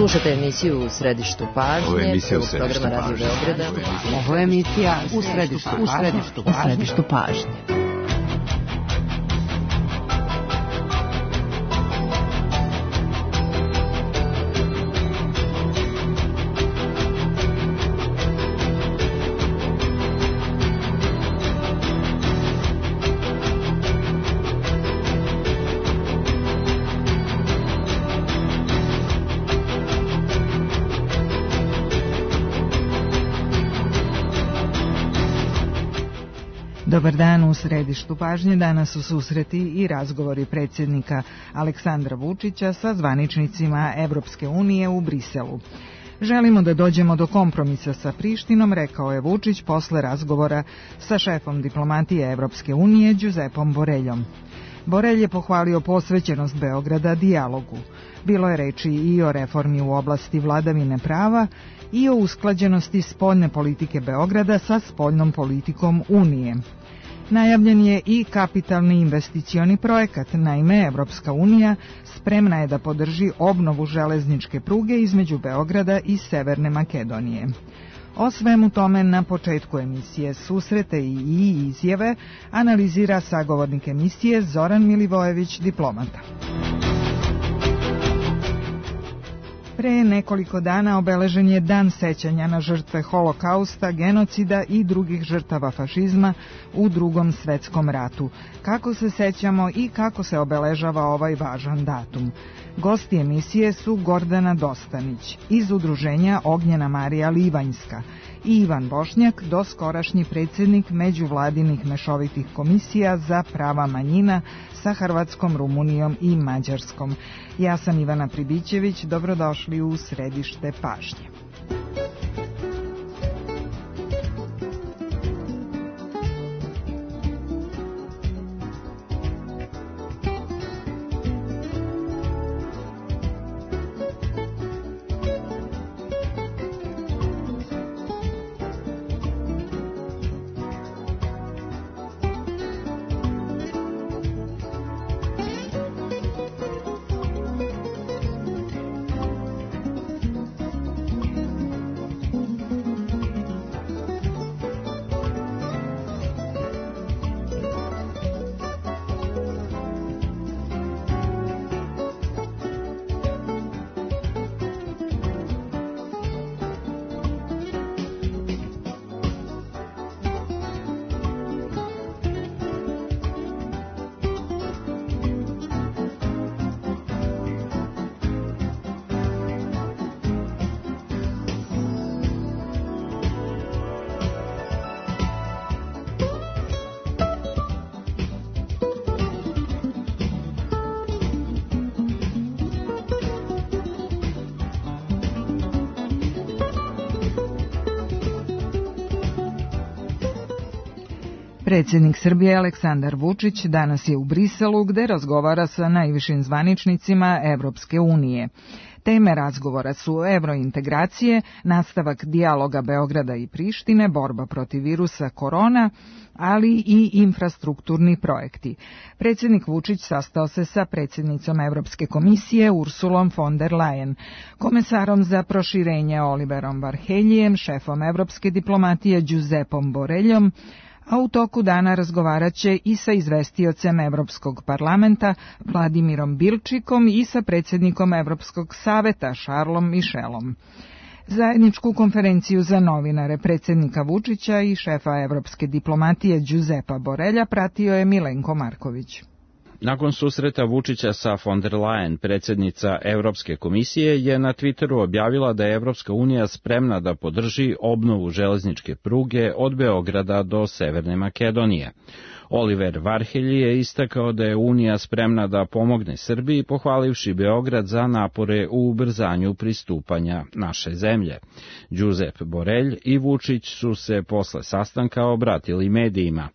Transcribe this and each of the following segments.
Slušate emisiju U središtu pažnje, programa Radio Beograda. Ovo je emisija U središtu pažnje. Dobar dan, u središtu pažnje danas su susreti i razgovori predsjednika Aleksandra Vučića sa zvaničnicima Evropske unije u Briselu. Želimo da dođemo do kompromisa sa Prištinom, rekao je Vučić posle razgovora sa šefom diplomatije Evropske unije Giuseppom Boreljom. Borelj je pohvalio posvećenost Beograda dijalogu. Bilo je reči i o reformi u oblasti vladavine prava i o usklađenosti spoljne politike Beograda sa spoljnom politikom Unije. Najavljen je i kapitalni investicioni projekat, naime Evropska unija spremna je da podrži obnovu železničke pruge između Beograda i Severne Makedonije. O svemu tome na početku emisije Susrete i izjave analizira sagovornik emisije Zoran Milivojević, diplomata. Pre nekoliko dana obeležen je Dan sećanja na žrtve Holokausta, genocida i drugih žrtava fašizma u Drugom svetskom ratu. Kako se sećamo i kako se obeležava ovaj važan datum? Gosti emisije su Gordana Dostanić iz udruženja Ognjena Marija Livanjska i Ivan Bošnjak, doskorašnji predsjednik međuvladinih mešovitih komisija za prava manjina sa Hrvatskom, Rumunijom i Mađarskom. Ja sam Ivana Pribićević, dobrodošli u središte pažnje. Predsjednik Srbije Aleksandar Vučić danas je u Briselu gde razgovara sa najvišim zvaničnicima Evropske unije. Teme razgovora su evrointegracije, nastavak dijaloga Beograda i Prištine, borba protiv virusa korona, ali i infrastrukturni projekti. Predsjednik Vučić sastao se sa predsjednicom Evropske komisije Ursulom von der Leyen, komesarom za proširenje Oliverom Varheljijem, šefom evropske diplomatije Giuseppom Boreljom, a u toku dana razgovarat će i sa izvestiocem Evropskog parlamenta Vladimirom Bilčikom i sa predsjednikom Evropskog saveta Charlesom Michelom. Zajedničku konferenciju za novinare predsjednika Vučića i šefa evropske diplomatije Giuseppa Borelja pratio je Milenko Marković. Nakon susreta Vučića sa von der Leyen, predsjednica Evropske komisije je na Twitteru objavila da je Evropska unija spremna da podrži obnovu železničke pruge od Beograda do Severne Makedonije. Oliver Varhelji je istakao da je Unija spremna da pomogne Srbiji, pohvalivši Beograd za napore u ubrzanju pristupanja naše zemlje. Giuseppe Borelj i Vučić su se posle sastanka obratili medijima.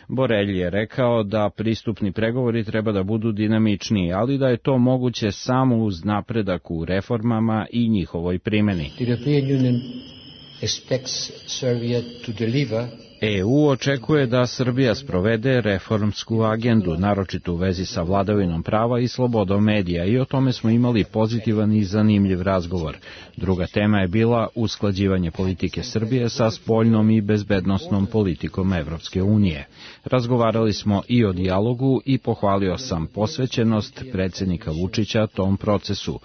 Borelj je rekao da pristupni pregovori treba da budu dinamičniji, ali da je to moguće samo uz napredak u reformama i njihovoj primjeni. The European Union expects Serbia to deliver EU očekuje da Srbija sprovede reformsku agendu, naročito u vezi sa vladavinom prava i slobodom medija, i o tome smo imali pozitivan i zanimljiv razgovor. Druga tema je bila usklađivanje politike Srbije sa spoljnom i bezbednosnom politikom Evropske unije. Razgovarali smo i o dijalogu i pohvalio sam posvećenost predsjednika Vučića tom procesu.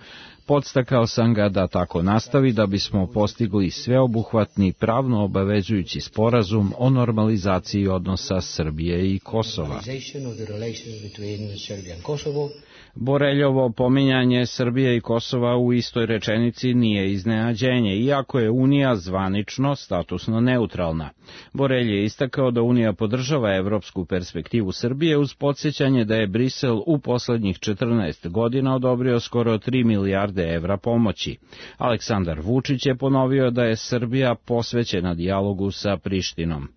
Podstakao sam ga da tako nastavi da bismo postigli sveobuhvatni pravno obavezujući sporazum o normalizaciji odnosa Srbije i Kosova. Boreljovo pominjanje Srbije i Kosova u istoj rečenici nije iznenađenje, iako je Unija zvanično statusno neutralna. Borelj je istakao da Unija podržava evropsku perspektivu Srbije uz podsjećanje da je Brisel u poslednjih 14 godina odobrio skoro 3 milijarde evra pomoći. Aleksandar Vučić je ponovio da je Srbija posvećena dijalogu sa Prištinom.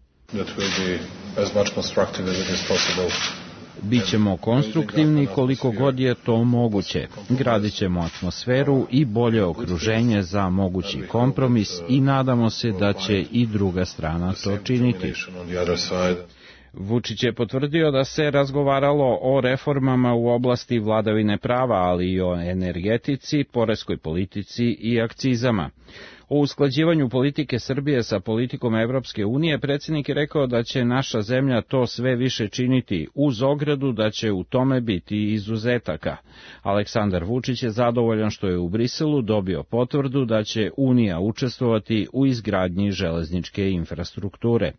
Bićemo konstruktivni koliko god je to moguće. Gradit ćemo atmosferu i bolje okruženje za mogući kompromis i nadamo se da će i druga strana to činiti. Vučić je potvrdio da se razgovaralo o reformama u oblasti vladavine prava, ali i o energetici, poreskoj politici i akcizama. O usklađivanju politike Srbije sa politikom Evropske unije predsjednik je rekao da će naša zemlja to sve više činiti, uz ogradu da će u tome biti izuzetaka. Aleksandar Vučić je zadovoljan što je u Briselu dobio potvrdu da će Unija učestvovati u izgradnji železničke infrastrukture.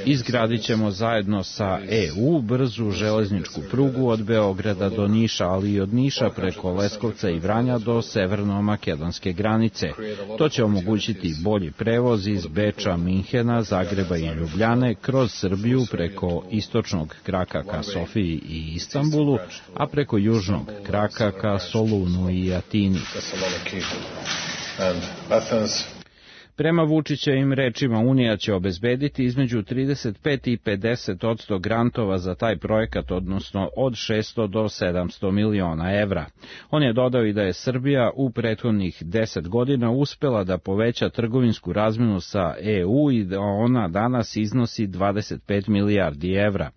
Izgradit ćemo zajedno sa EU brzu železničku prugu od Beograda do Niša, ali i od Niša preko Leskovca i Vranja do severno-makedonske granice. To će omogućiti bolji prevoz iz Beča, Minhena, Zagreba i Ljubljane kroz Srbiju preko istočnog kraka ka Sofiji i Istanbulu, a preko južnog kraka ka Solunu i Atini. Prema Vučićevim rečima, Unija će obezbediti između 35 i 50% grantova za taj projekat, odnosno od 600 do 700 miliona evra. On je dodao i da je Srbija u prethodnih 10 godina uspela da poveća trgovinsku razmenu sa EU i da ona danas iznosi 25 milijardi evra.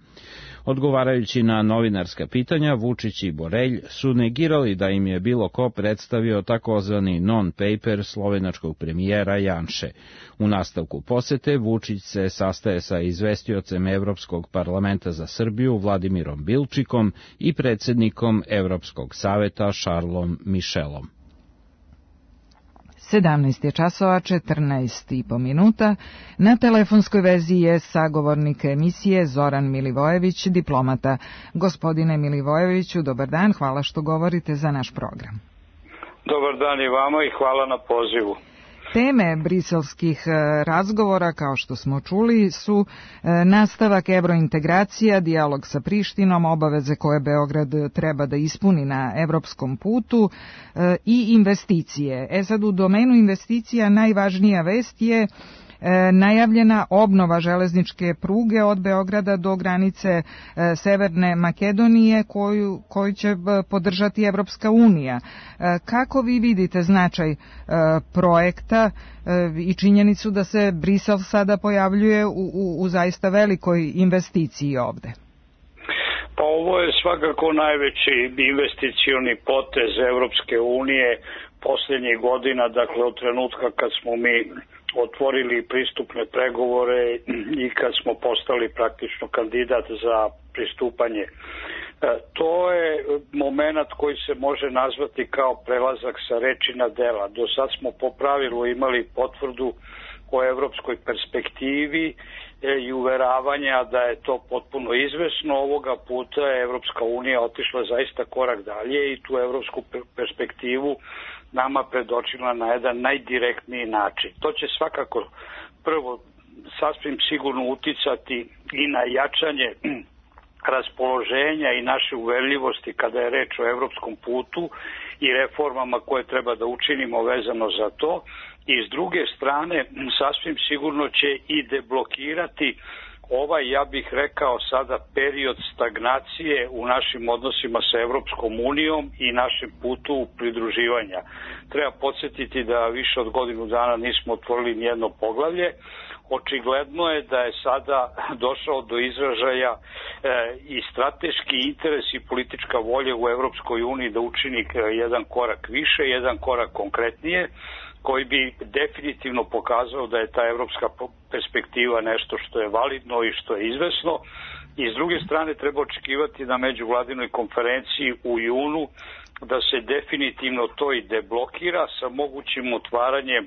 Odgovarajući na novinarska pitanja, Vučić i Borelj su negirali da im je bilo ko predstavio takozvani non-paper slovenačkog premijera Janše. U nastavku posete Vučić se sastaje sa izvestiocem Evropskog parlamenta za Srbiju Vladimirom Bilčikom i predsjednikom Evropskog saveta Charlesom Michelom. 17 je časova, 14,5 minuta. Na telefonskoj vezi je sagovornik emisije Zoran Milivojević, diplomata. Gospodine Milivojeviću, dobar dan, hvala što govorite za naš program. Dobar dan i vama i hvala na pozivu. Teme briselskih razgovora, kao što smo čuli, su nastavak evrointegracija, dijalog sa Prištinom, obaveze koje Beograd treba da ispuni na evropskom putu i investicije. Sad u domenu investicija najvažnija vest je najavljena obnova železničke pruge od Beograda do granice Severne Makedonije koju će podržati Evropska unija. Kako vi vidite značaj projekta i činjenicu da se Brisel sada pojavljuje u zaista velikoj investiciji ovde? Pa ovo je svakako najveći investicioni potez Evropske unije posljednjih godina, dakle od trenutka kad smo mi otvorili pristupne pregovore i kad smo postali praktično kandidat za pristupanje. To je moment koji se može nazvati kao prelazak sa reči na dela. Do sad smo po pravilu imali potvrdu o evropskoj perspektivi i uveravanja da je to potpuno izvesno. Ovoga puta je Evropska unija otišla zaista korak dalje i tu evropsku perspektivu nama predočila na jedan najdirektniji način. To će svakako prvo sasvim sigurno uticati i na jačanje raspoloženja i naše uverljivosti kada je reč o evropskom putu i reformama koje treba da učinimo vezano za to. I s druge strane, sasvim sigurno će i deblokirati ovaj, ja bih rekao sada, period stagnacije u našim odnosima sa Evropskom unijom i našem putu pridruživanja. Treba podsjetiti da više od godinu dana nismo otvorili nijedno poglavlje. očigledno je da je sada došao do izražaja i strateški interes i politička volja u Evropskoj uniji da učini jedan korak više, jedan korak konkretnije, koji bi definitivno pokazao da je ta evropska perspektiva nešto što je validno i što je izvesno. I s druge strane treba očekivati na međuvladinoj konferenciji u junu da se definitivno to i deblokira sa mogućim otvaranjem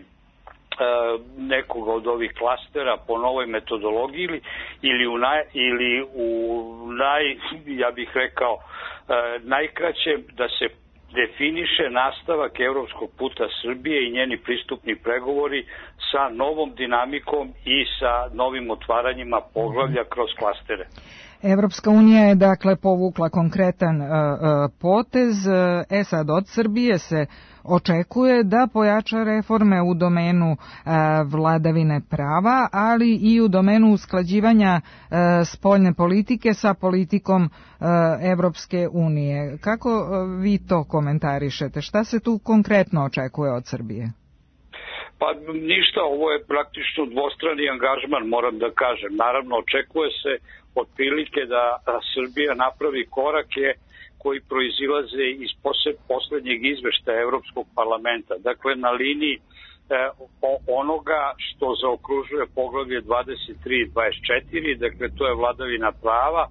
nekoga od ovih klastera po novoj metodologiji ili ja bih rekao, najkraće da se definiše nastavak evropskog puta Srbije i njeni pristupni pregovori sa novom dinamikom i sa novim otvaranjima poglavlja kroz klastere. Evropska unija je dakle povukla konkretan potez. Sad od Srbije se očekuje da pojača reforme u domenu vladavine prava, ali i u domenu usklađivanja spoljne politike sa politikom Evropske unije. Kako vi to komentarišete? Šta se tu konkretno očekuje od Srbije? Pa ništa, ovo je praktično dvostrani angažman, moram da kažem. Naravno, očekuje se otprilike da Srbija napravi korake koji proizilaze iz poslednjeg izveštaja Evropskog parlamenta. Dakle, na liniji onoga što zaokružuje poglavlje 23 i 24, dakle to je vladavina prava,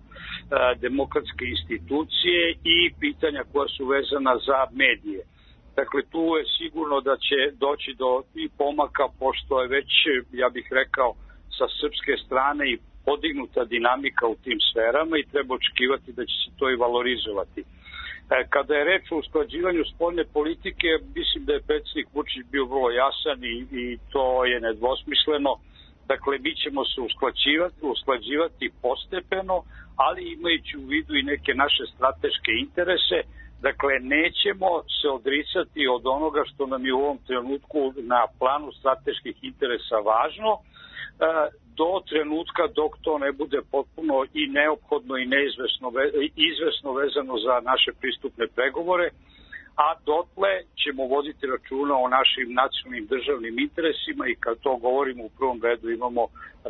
demokratske institucije i pitanja koja su vezana za medije. Dakle, tu je sigurno da će doći do i pomaka, pošto je već, ja bih rekao, sa srpske strane i podignuta dinamika u tim sferama i treba očekivati da će se to i valorizovati. Kada je reč o usklađivanju spoljne politike, mislim da je predsjednik Vučić bio vrlo jasan i to je nedvosmisleno. Dakle, mi ćemo se usklađivati postepeno, ali imajući u vidu i neke naše strateške interese. Dakle, nećemo se odricati od onoga što nam je u ovom trenutku na planu strateških interesa važno, do trenutka dok to ne bude potpuno i neophodno i izvesno vezano za naše pristupne pregovore, a dotle ćemo voditi računa o našim nacionalnim državnim interesima i kad to govorimo u prvom redu imamo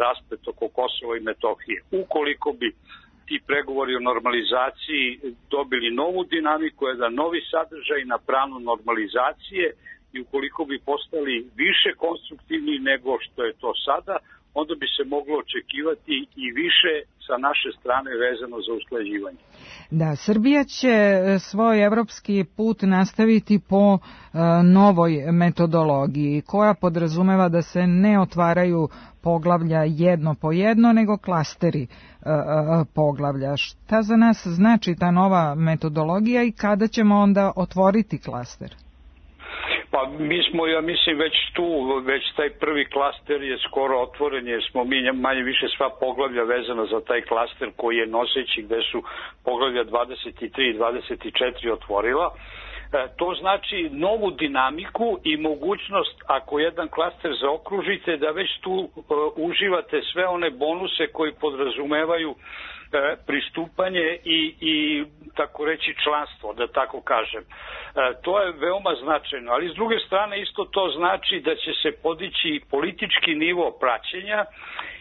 rasplet oko Kosova i Metohije. Ukoliko bi ti pregovori o normalizaciji dobili novu dinamiku, jedan novi sadržaj na planu normalizacije i ukoliko bi postali više konstruktivni nego što je to sada, onda bi se moglo očekivati i više sa naše strane vezano za usklađivanje. Da, Srbija će svoj evropski put nastaviti po novoj metodologiji koja podrazumeva da se ne otvaraju poglavlja jedno po jedno, nego klasteri poglavlja. Šta za nas znači ta nova metodologija i kada ćemo onda otvoriti klaster? Pa mi smo, ja mislim, već tu, već taj prvi klaster je skoro otvoren jer smo mi manje više sva poglavlja vezana za taj klaster koji je noseći gde su poglavlja 23 i 24 otvorila. To znači novu dinamiku i mogućnost, ako jedan klaster zaokružite, da već tu uživate sve one bonuse koji podrazumevaju pristupanje i tako reći članstvo, da tako kažem. To je veoma značajno, ali s druge strane isto to znači da će se podići politički nivo praćenja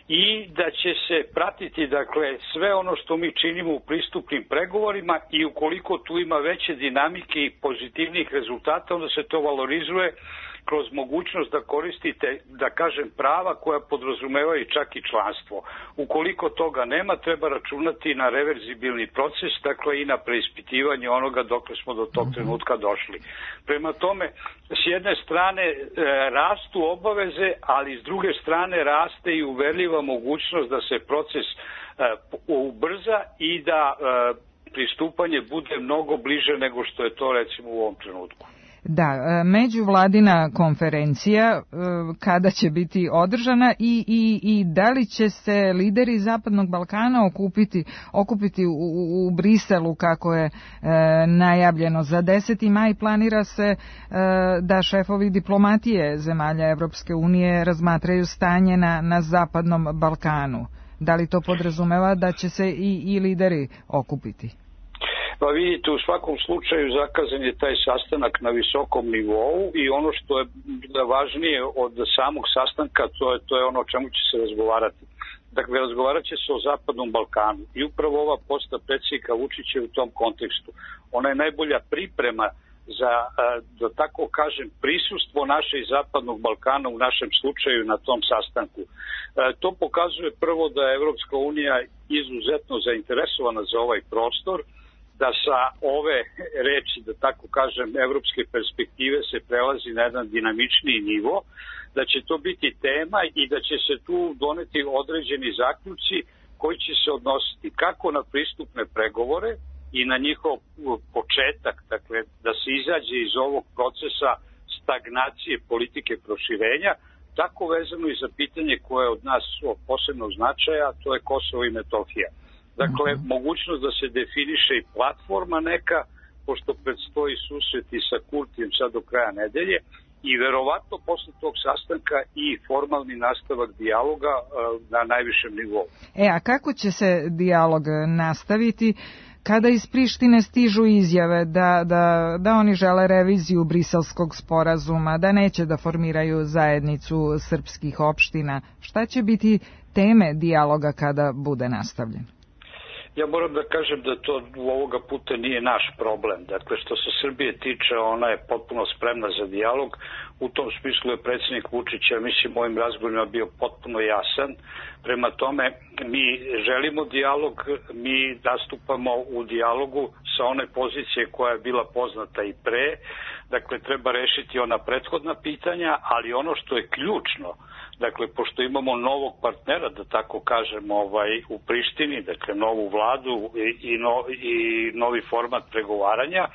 i da će se pratiti, dakle, sve ono što mi činimo u pristupnim pregovorima i ukoliko tu ima veće dinamike i pozitivnih rezultata, onda se to valorizuje kroz mogućnost da koristite, da kažem, prava koja podrazumevaju čak i članstvo. Ukoliko toga nema, treba računati na reverzibilni proces, dakle i na preispitivanje onoga dokle smo do tog trenutka došli. Prema tome, s jedne strane rastu obaveze, ali s druge strane raste i uverljiva mogućnost da se proces ubrza i da pristupanje bude mnogo bliže nego što je to recimo u ovom trenutku. Da, međuvladina konferencija kada će biti održana i da li će se lideri Zapadnog Balkana okupiti u Briselu kako je najavljeno za 10. maj, planira se da šefovi diplomatije zemalja Evropske unije razmatraju stanje na Zapadnom Balkanu. Da li to podrazumeva da će se i lideri okupiti? Pa vidite, u svakom slučaju zakazan je taj sastanak na visokom nivou i ono što je važnije od samog sastanka, to je ono o čemu će se razgovarati. Dakle, razgovarat će se o Zapadnom Balkanu i upravo ova posta predsjednika Vučića u tom kontekstu. Ona je najbolja priprema za, da tako kažem, prisustvo našeg Zapadnog Balkana u našem slučaju na tom sastanku. To pokazuje prvo da je Evropska unija izuzetno zainteresovana za ovaj prostor, da sa ove reči, da tako kažem, evropske perspektive se prelazi na jedan dinamičniji nivo, da će to biti tema i da će se tu doneti određeni zaključci koji će se odnositi kako na pristupne pregovore i na njihov početak, dakle da se izađe iz ovog procesa stagnacije politike proširenja, tako vezano i za pitanje koje je od nas posebno značaja, to je Kosovo i Metohija. Dakle, mogućnost da se definiše i platforma neka, pošto predstoji susreti sa Kurtijem sad do kraja nedelje, i verovatno posle tog sastanka i formalni nastavak dijaloga na najvišem nivou. A kako će se dijalog nastaviti kada iz Prištine stižu izjave da oni žele reviziju Briselskog sporazuma, da neće da formiraju zajednicu srpskih opština? Šta će biti teme dijaloga kada bude nastavljen? Ja moram da kažem da to ovoga puta nije naš problem. Dakle, što se Srbije tiče, ona je potpuno spremna za dijalog. U tom smislu je predsjednik Vučića, mislim, ovim razgovorima bio potpuno jasan. Prema tome, mi želimo dijalog, mi nastupamo u dijalogu sa one pozicije koja je bila poznata i pre. Dakle, treba rešiti ona prethodna pitanja, ali ono što je ključno, dakle, pošto imamo novog partnera, da tako kažem, u Prištini, dakle, novu vladu i novi format pregovaranja,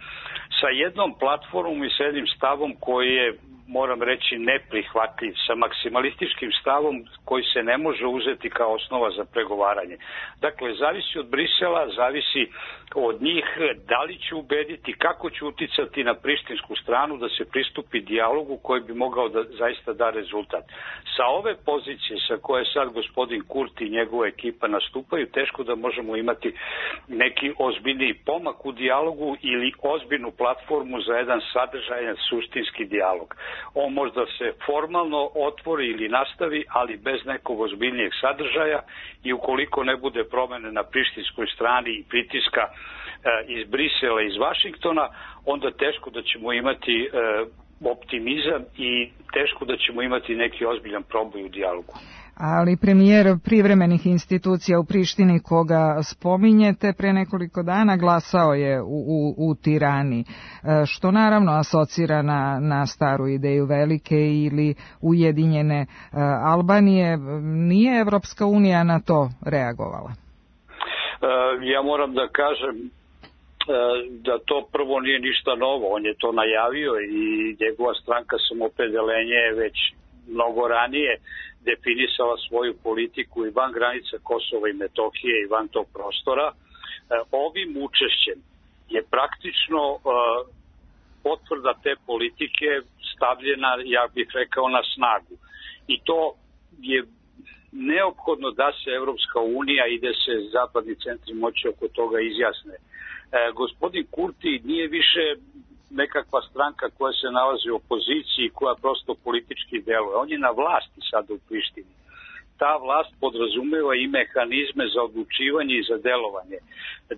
sa jednom platformom i sa jednim stavom koji je, moram reći, neprihvatljiv, sa maksimalističkim stavom koji se ne može uzeti kao osnova za pregovaranje. Dakle, zavisi od Brisela, zavisi od njih da li će ubediti, kako će uticati na prištinsku stranu da se pristupi dijalogu koji bi mogao da zaista da rezultat. Sa ove pozicije sa koje sad gospodin Kurti i njegova ekipa nastupaju, teško da možemo imati neki ozbiljniji pomak u dijalogu ili ozbiljnu platformu za jedan sadržajan suštinski dijalog. On možda se formalno otvori ili nastavi, ali bez nekog ozbiljnijeg sadržaja, i ukoliko ne bude promene na prištinskoj strani i pritiska iz Brisela, iz Vašingtona, onda teško da ćemo imati optimizam i teško da ćemo imati neki ozbiljan proboj u dijalogu. Ali premijer privremenih institucija u Prištini, koga spominjete, pre nekoliko dana glasao je u Tirani, što naravno asocira na staru ideju velike ili ujedinjene Albanije. Nije Evropska unija na to reagovala? Ja moram da kažem da to prvo nije ništa novo. On je to najavio i njegova stranka Samoopredeljenje je već mnogo ranije definisala svoju politiku i van granica Kosova i Metohije i van tog prostora. Ovim učešćem je praktično potvrda te politike stavljena, ja bih rekao, na snagu. I to je neophodno da se Evropska unija i da se zapadni centri moći oko toga izjasne. Gospodin Kurti nije više nekakva stranka koja se nalazi u opoziciji, koja prosto politički deluje. On je na vlasti sada u Prištini. Ta vlast podrazumeva i mehanizme za odlučivanje i za delovanje.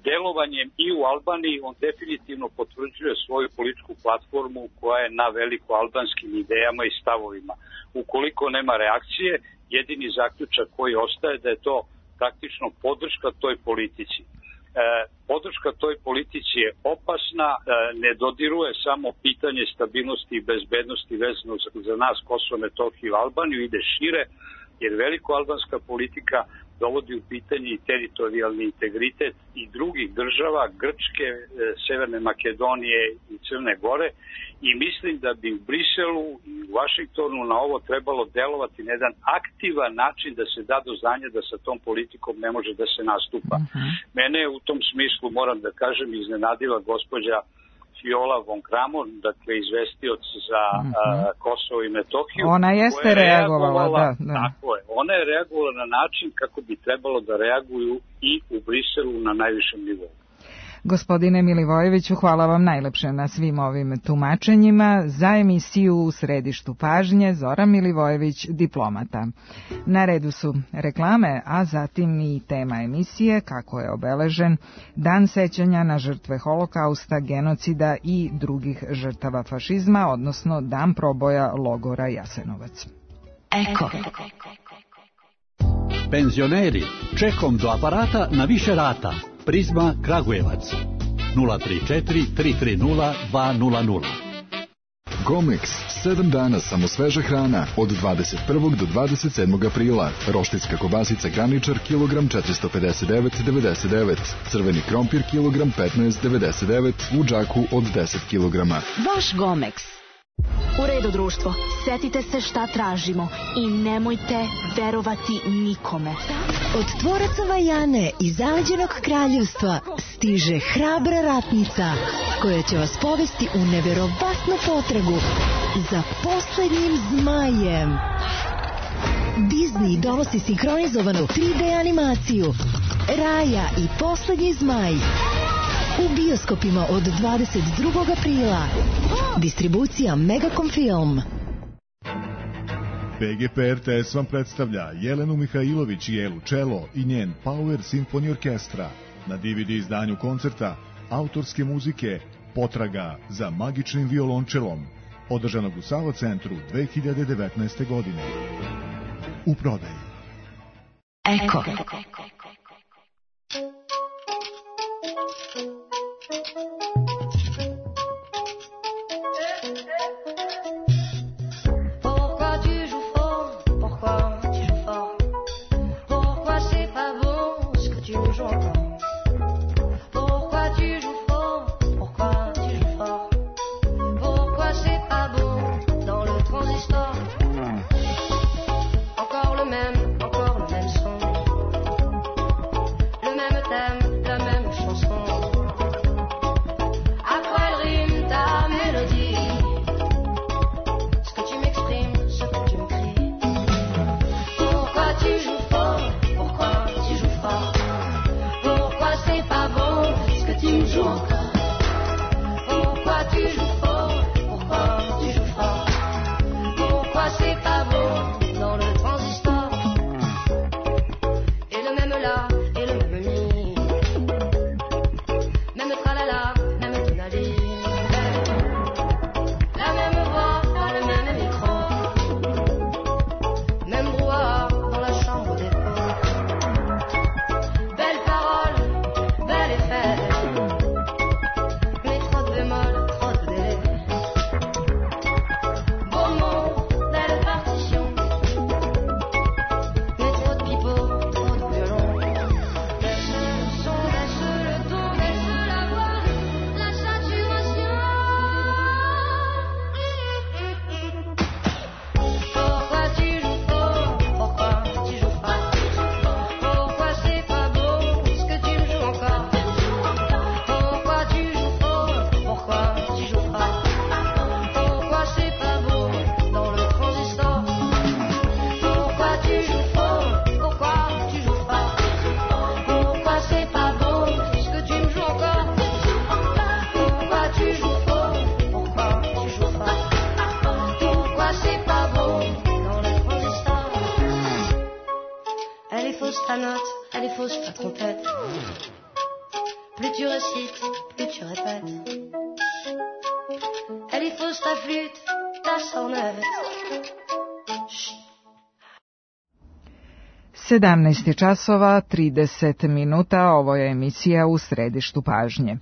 Delovanjem i u Albaniji on definitivno potvrđuje svoju političku platformu koja je na veliko albanskim idejama i stavovima. Ukoliko nema reakcije, jedini zaključak koji ostaje da je to praktično podrška toj politici. Podrška toj politici je opasna, ne dodiruje samo pitanje stabilnosti i bezbednosti vezano za nas Kosovo, Metohiju i Albaniju, ide šire, jer veliko-albanska politika dovodi u pitanje i teritorijalni integritet i drugih država, Grčke, Severne Makedonije i Crne Gore, i mislim da bi u Briselu i u Vašingtonu na ovo trebalo delovati na jedan aktivan način da se da do znanja da sa tom politikom ne može da se nastupa. Mene u tom smislu, moram da kažem, iznenadila gospođa Viola von Kramon, dakle izvestioc za Kosovo i Metohiju. Ona jeste reagovala, da. Tako je. Ona je reagovala na način kako bi trebalo da reaguju i u Briselu na najvišem nivou. Gospodine Milivojeviću, hvala vam najlepše na svim ovim tumačenjima. Za emisiju U središtu pažnje Zoran Milivojević, diplomata. Na redu su reklame, a zatim i tema emisije, kako je obeležen Dan sećanja na žrtve holokausta, genocida i drugih žrtava fašizma, odnosno Dan proboja logora Jasenovac. Eko. Penzioneri, čekom do aparata na više rata. Prizma Kragujevac 034 330 200. Gomex, 7 dana samo sveža hrana od 21. do 27. aprila. Roštiljska kobasica Graničar kilogram 459,99. Crveni krompir kilogram 15,99 u džaku od 10 kilograma. Vaš Gomex. U redu, društvo, setite se šta tražimo i nemojte verovati nikome. Od tvoraca Vajane iz zaleđenog kraljevstva stiže hrabra ratnica koja će vas povesti u neverovatnu potragu za poslednjim zmajem. Disney donosi sinhronizovanu 3D animaciju Raja i poslednji zmaj u bioskopima od 22. aprila. Distribucija Megacom Film. PGP RTS vam predstavlja Jelenu Mihajlović i Elu Čelo i njen Power Symphony Orkestra. Na DVD izdanju koncerta autorske muzike Potraga za magičnim violončelom, održanog u Sava centru 2019. godine. U prodaji. Eko. Plus tu récites, plus tu répètes. Elle est fausse ta flûte, ta sornette. 17 časova 30 minuta, ovo je emisija U središtu pažnje.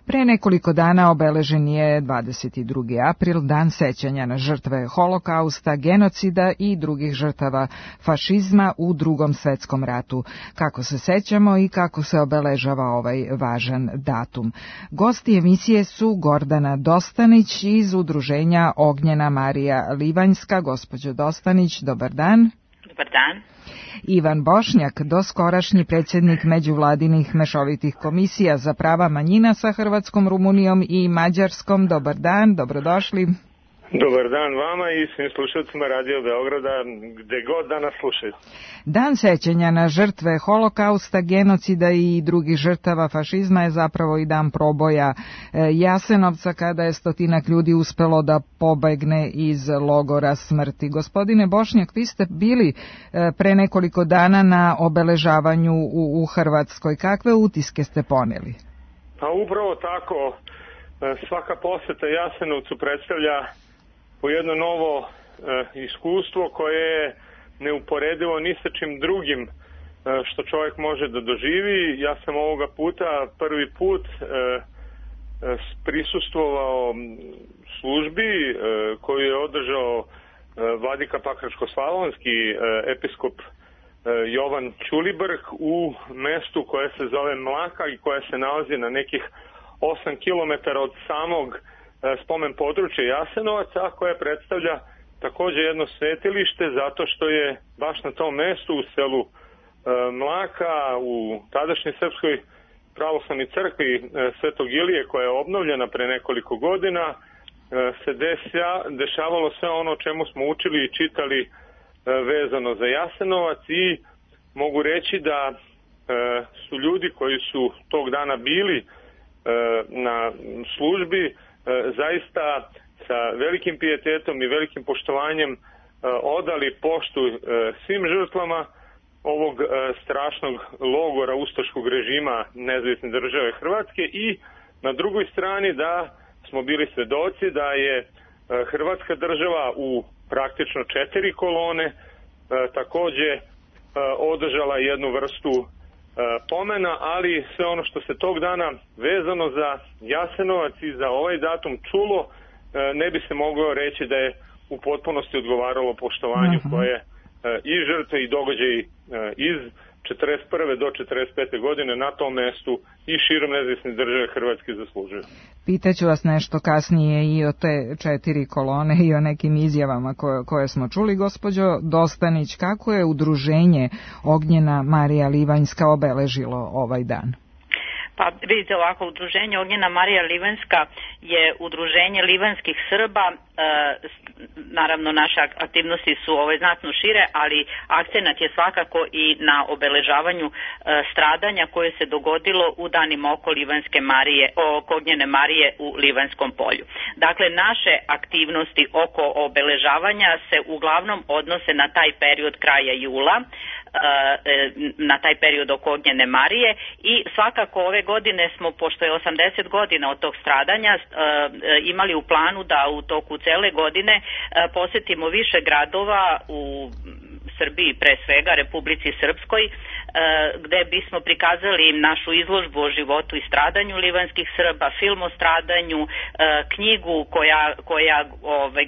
Pre nekoliko dana obeležen je 22. april, Dan sećanja na žrtve holokausta, genocida i drugih žrtava fašizma u Drugom svetskom ratu. Kako se sećamo i kako se obeležava ovaj važan datum. Gosti emisije su Gordana Dostanić iz udruženja Ognjena Marija Livanjska. Gospođo Dostanić, dobar dan. Dobar dan. Ivan Bošnjak, doskorašnji predsjednik međuvladinih mešovitih komisija za prava manjina sa Hrvatskom, Rumunijom i Mađarskom. Dobar dan, dobrodošli. Dobar dan vama i svim slušalcima Radio Beograda, gde god da nas slušaju. Dan sećanja na žrtve Holokausta, genocida i drugih žrtava fašizma je zapravo i dan proboja Jasenovca, kada je stotinak ljudi uspelo da pobegne iz logora smrti. Gospodine Bošnjak, vi ste bili pre nekoliko dana na obeležavanju u Hrvatskoj. Kakve utiske ste poneli? Pa upravo tako, svaka poseta Jasenovcu predstavlja po jedno novo iskustvo koje je neuporedivo ni sa čim drugim što čovjek može da doživi. Ja sam ovoga puta prvi put prisustvovao službi koju je održao vladika Pakračko-slavonski episkop Jovan Ćulibrk u mestu koje se zove Mlaka i koje se nalazi na nekih 8 km od samog spomen područja Jasenovaca, a koje predstavlja također jedno svetilište zato što je baš na tom mestu u selu Mlaka u tadašnjoj Srpskoj pravoslavnoj crkvi Svetog Ilije, koja je obnovljena pre nekoliko godina, se dešavalo sve ono o čemu smo učili i čitali vezano za Jasenovac, i mogu reći da su ljudi koji su tog dana bili na službi zaista sa velikim pijetetom i velikim poštovanjem odali poštu svim žrtvama ovog strašnog logora ustaškog režima Nezavisne države Hrvatske, i na drugoj strani da smo bili svedoci da je Hrvatska država u praktično 4 kolone također održala jednu vrstu pomena, ali sve ono što se tog dana vezano za Jasenovac i za ovaj datum čulo, ne bi se moglo reći da je u potpunosti odgovaralo poštovanju koje i žrtve i događaji iz 41. do 45. godine na tom mestu i širom Nezavisne države Hrvatske zaslužuju. Pitaću vas nešto kasnije i o te 4 kolone i o nekim izjavama koje smo čuli. Gospođo Dostanić, kako je udruženje Ognjena Marija Livanjska obeležilo ovaj dan? Pa vidite ovako, udruženje Ognjena Marija Livanjska je udruženje livanjskih Srba. Naravno, naše aktivnosti su znatno šire, ali akcenat je svakako i na obeležavanju stradanja koje se dogodilo u danima oko Ognjene Marije u Livanjskom polju. Dakle, naše aktivnosti oko obeležavanja se uglavnom odnose na taj period kraja jula, na taj period oko Ognjene Marije, i svakako ove godine smo, pošto je 80 godina od tog stradanja, imali u planu da u toku cele godine posetimo više gradova u Srbiji, pre svega Republici Srpskoj, gde bismo prikazali našu izložbu o životu i stradanju livanjskih Srba, film o stradanju, knjigu koja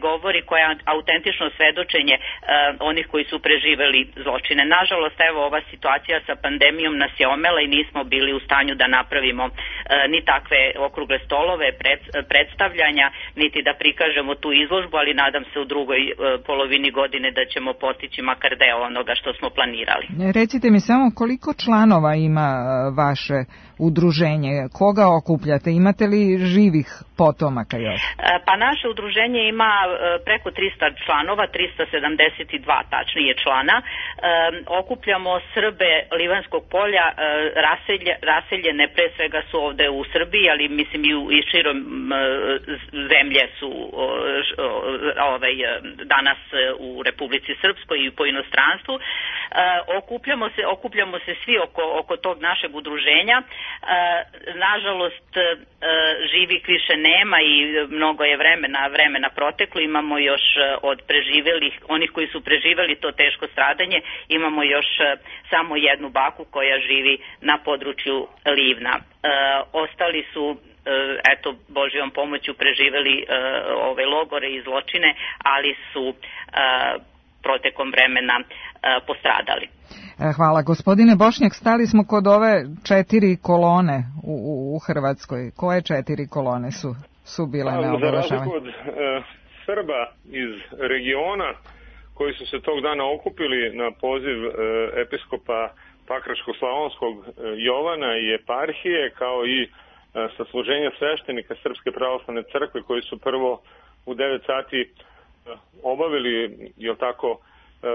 govori, koja je autentično svedočenje onih koji su preživeli zločine. Nažalost, evo, ova situacija sa pandemijom nas je omela i nismo bili u stanju da napravimo ni takve okrugle stolove, predstavljanja, niti da prikažemo tu izložbu, ali nadam se u drugoj polovini godine da ćemo postići makar deo onoga što smo planirali. Recite mi samo koliko članova ima vaše udruženje, koga okupljate, imate li živih potomaka još? Pa naše udruženje ima preko 300 članova, 372 tačnije člana. Okupljamo Srbe Livanjskog polja, raseljene pre svega su ovde u Srbiji, ali mislim i širom zemlje su danas u Republici Srpskoj i po inostranstvu. Okupljamo se svi oko tog našeg udruženja. Nažalost, živih više nema i mnogo je vremena proteklo. Imamo još od preživelih, onih koji su preživeli to teško stradanje, imamo još samo jednu baku koja živi na području Livna. Ostali su Božjom pomoću preživeli ove logore i zločine, ali su protekom vremena postradali. Hvala. Gospodine Bošnjak, stali smo kod ove 4 kolone u Hrvatskoj. Koje 4 kolone su bile na obeležavanju? Za razliku od Srba iz regiona koji su se tog dana okupili na poziv episkopa Pakračko-slavonskog Jovana i eparhije, kao i sasluženja sveštenika Srpske pravoslavne crkve koji su prvo u 9 sati obavili, jel tako,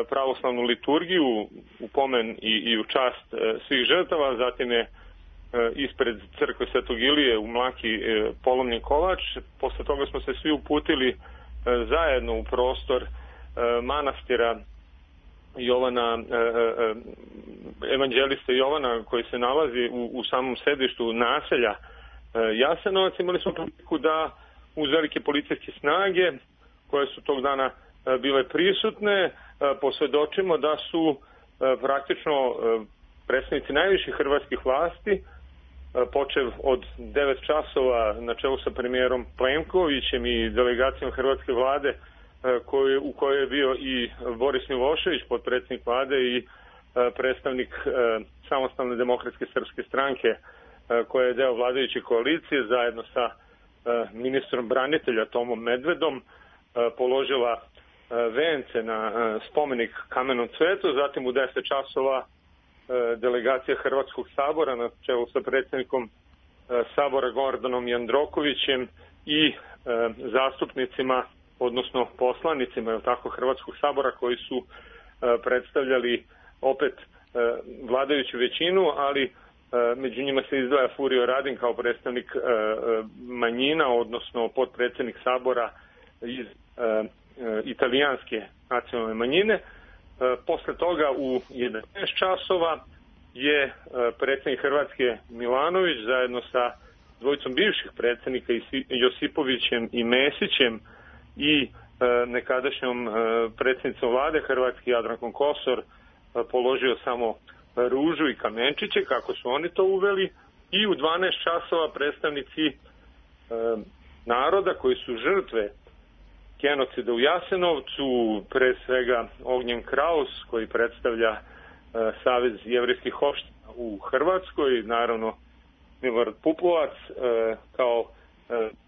pravoslavnu liturgiju u pomen i u čast svih žrtava, zatim je ispred crkve Svetog Ilije u Mlaki polomljen kolač. Posle toga smo se svi uputili zajedno u prostor manastira Jovana, evanđelista Jovana, koji se nalazi u samom sedištu naselja Jasenovac. Imali smo priliku da uz velike policijske snage koje su tog dana bile prisutne posvedočimo da su praktično predstavnici najviših hrvatskih vlasti, počev od 9 časova na čelu sa premijerom Plenkovićem i delegacijom hrvatske vlade u kojoj je bio i Boris Milošević, potpredsjednik vlade i predstavnik Samostalne demokratske srpske stranke koja je deo vladajuće koalicije, zajedno sa ministrom branitelja Tomom Medvedom položila vence na spomenik Kamenom cvetu. Zatim u 10 časova delegacija Hrvatskog sabora na čelu sa predsjednikom sabora Gordanom Jandrokovićem i zastupnicima, odnosno poslanicima, je tako, Hrvatskog sabora, koji su predstavljali opet vladajuću većinu, ali među njima se izdvaja Furio Radin kao predstavnik manjina, odnosno potpredsjednik sabora iz italijanske nacionalne manjine. Posle toga u 11 časova je predsjednik Hrvatske Milanović zajedno sa dvojicom bivših predsjednika Josipovićem i Mesićem i nekadašnjom predsjednicom vlade Hrvatske Jadrankom Kosor položio samo ružu i kamenčiće, kako su oni to uveli, i u 12 časova predstavnici naroda koji su žrtve genocida u Jasenovcu, pre svega Ognjen Kraus, koji predstavlja Savez jevrijskih opština u Hrvatskoj, naravno Milorad Pupovac kao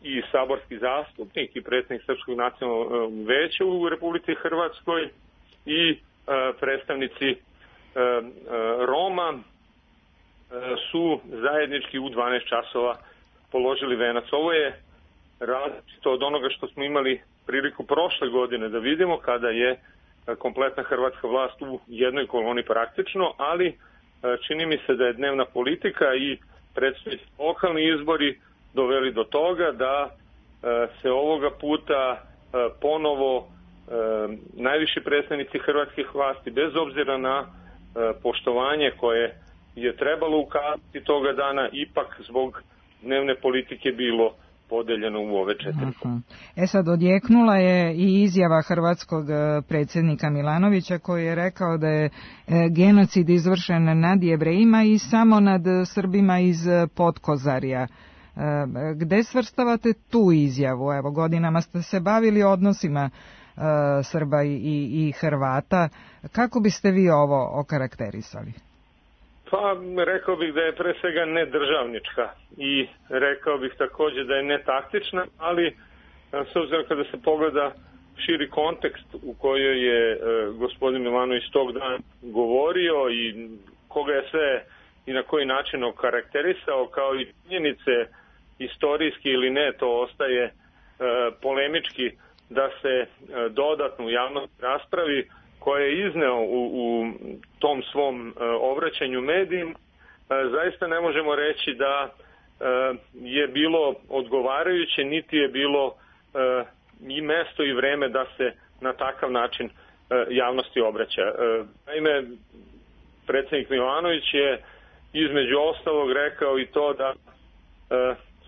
i saborski zastupnik i predsjednik Srpskog nacionalnog veća u Republici Hrvatskoj i predstavnici Roma su zajednički u 12 časova položili venac. Ovo je različito od onoga što smo imali priliku prošle godine da vidimo, kada je kompletna hrvatska vlast u jednoj koloni praktično, ali čini mi se da je dnevna politika i predstojeći lokalni izbori doveli do toga da se ovoga puta ponovo najviši predstavnici hrvatskih vlasti, bez obzira na poštovanje koje je trebalo ukazati toga dana, ipak zbog dnevne politike bilo podeljeno u ove 4. Sad, odjeknula je i izjava hrvatskog predsjednika Milanovića, koji je rekao da je genocid izvršen nad Jevrejima i samo nad Srbima iz Podkozarja. Gde svrstavate tu izjavu? Evo, godinama ste se bavili odnosima Srba i Hrvata. Kako biste vi ovo okarakterisali? Pa, rekao bih da je pre svega nedržavnička i rekao bih također da je netaktična, ali s obzirom kada se pogleda širi kontekst u kojoj je gospodin Milanović tog dana govorio i koga je sve i na koji način okarakterisao, kao i činjenice istorijski ili ne, to ostaje polemički da se dodatno u javnosti raspravi, koje je izneo u tom svom obraćanju medijima. Zaista ne možemo reći da je bilo odgovarajuće, niti je bilo i mesto i vreme da se na takav način javnosti obraća. Naime, predsjednik Milanović je između ostalog rekao i to da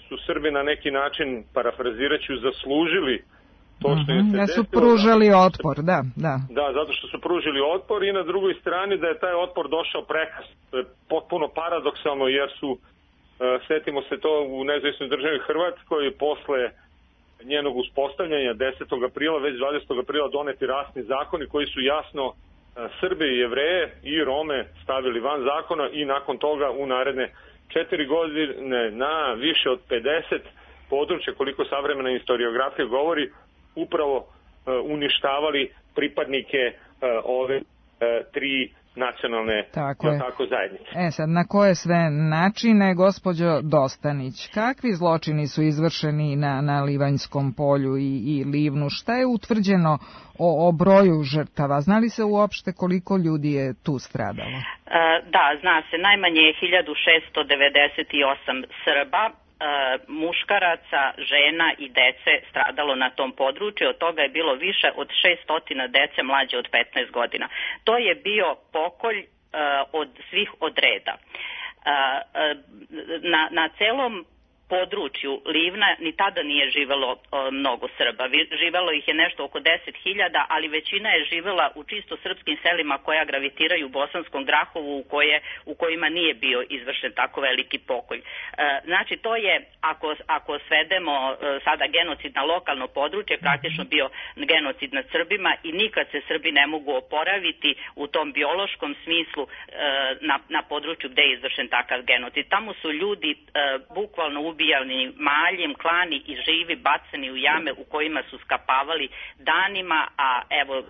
su Srbi na neki način, parafrazirajući, zaslužili to što im se da su pružali otpor, da. Da, zato što su pružili otpor, i na drugoj strani da je taj otpor došao prekasno. To je potpuno paradoksalno, jer su, setimo se to, u nezavisnoj državi Hrvatskoj posle njenog uspostavljanja 10. aprila, već 20. aprila doneti rasni zakoni koji su jasno Srbe i Jevreje i Rome stavili van zakona, i nakon toga u naredne 4 godine na više od 50 područja, koliko savremena historiografija govori, upravo uništavali pripadnike ove 3 nacionalne zajednice. Sad, na koje sve načine, gospođo Dostanić, kakvi zločini su izvršeni na Livanjskom polju i Livnu? Šta je utvrđeno o broju žrtava? Zna li se uopšte koliko ljudi je tu stradalo? Da, zna se. Najmanje je 1698 Srba, muškaraca, žena i dece stradalo na tom području. Od toga je bilo više od 600 dece mlađe od 15 godina. To je bio pokolj od svih od reda. Na celom području Livna ni tada nije živelo mnogo Srba. Živelo ih je nešto oko 10.000, ali većina je živela u čisto srpskim selima koja gravitiraju u Bosanskom Grahovu u kojima nije bio izvršen tako veliki pokolj. Znači to je, ako svedemo sada genocid na lokalno područje, praktično bio genocid nad Srbima i nikad se Srbi ne mogu oporaviti u tom biološkom smislu na području gde je izvršen takav genocid. Tamo su ljudi bukvalno ubijani maljem, klani i živi, bacani u jame u kojima su skapavali danima, a evo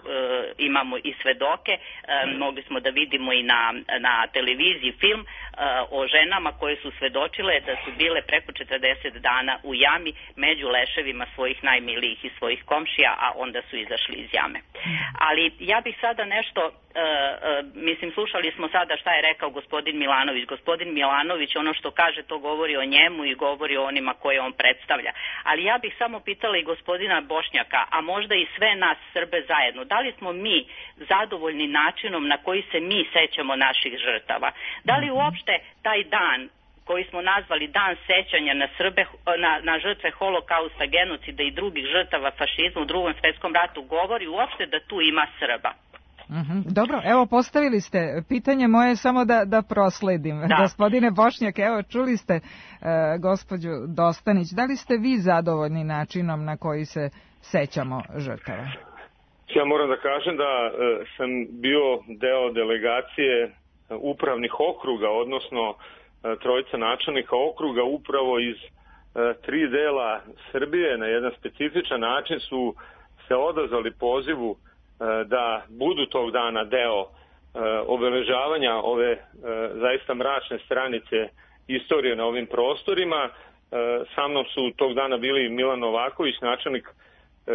imamo i svedoke, mogli smo da vidimo i na televiziji film o ženama koje su svedočile da su bile preko 40 dana u jami među leševima svojih najmilijih i svojih komšija, a onda su izašli iz jame. Ali ja bih sada nešto, slušali smo sada šta je rekao gospodin Milanović. Gospodin Milanović, ono što kaže, to govori o njemu i govori o onima koje on predstavlja. Ali ja bih samo pitala i gospodina Bošnjaka, a možda i sve nas Srbe zajedno, da li smo mi zadovoljni načinom na koji se mi sećamo naših žrtava? Da li uopšte taj dan koji smo nazvali dan sećanja na Srbe, na žrtve holokausta, genocida i drugih žrtava fašizma u Drugom svetskom ratu govori uopšte da tu ima Srba? Dobro, evo postavili ste pitanje moje, samo da prosledim. Gospodine Bošnjak, evo čuli ste gospođu Dostanić, da li ste vi zadovoljni načinom na koji se sećamo žrtava? Ja moram da kažem da sam bio deo delegacije upravnih okruga, odnosno trojica načelnika okruga upravo iz 3 dela Srbije na jedan specifičan način su se odazvali pozivu da budu tog dana deo obeležavanja ove zaista mračne stranice istorije na ovim prostorima. Sa mnom su tog dana bili Milan Novaković, načelnik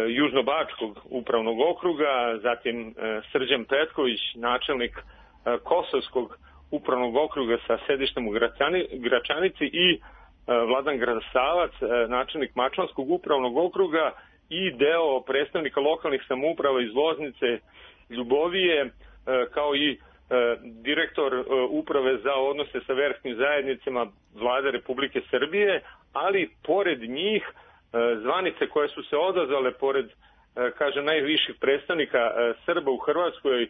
Južnobačkog upravnog okruga, zatim Srđan Petković, načelnik Kosovskog upravnog okruga sa sedištem u Gračanici i Vladan Grasavac, načelnik Mačvanskog upravnog okruga i deo predstavnika lokalnih samouprava iz Loznice, Ljubovije, kao i direktor uprave za odnose sa verskim zajednicama Vlade Republike Srbije, ali pored njih zvanice koje su se odazvale pored, kažem, najviših predstavnika Srba u Hrvatskoj,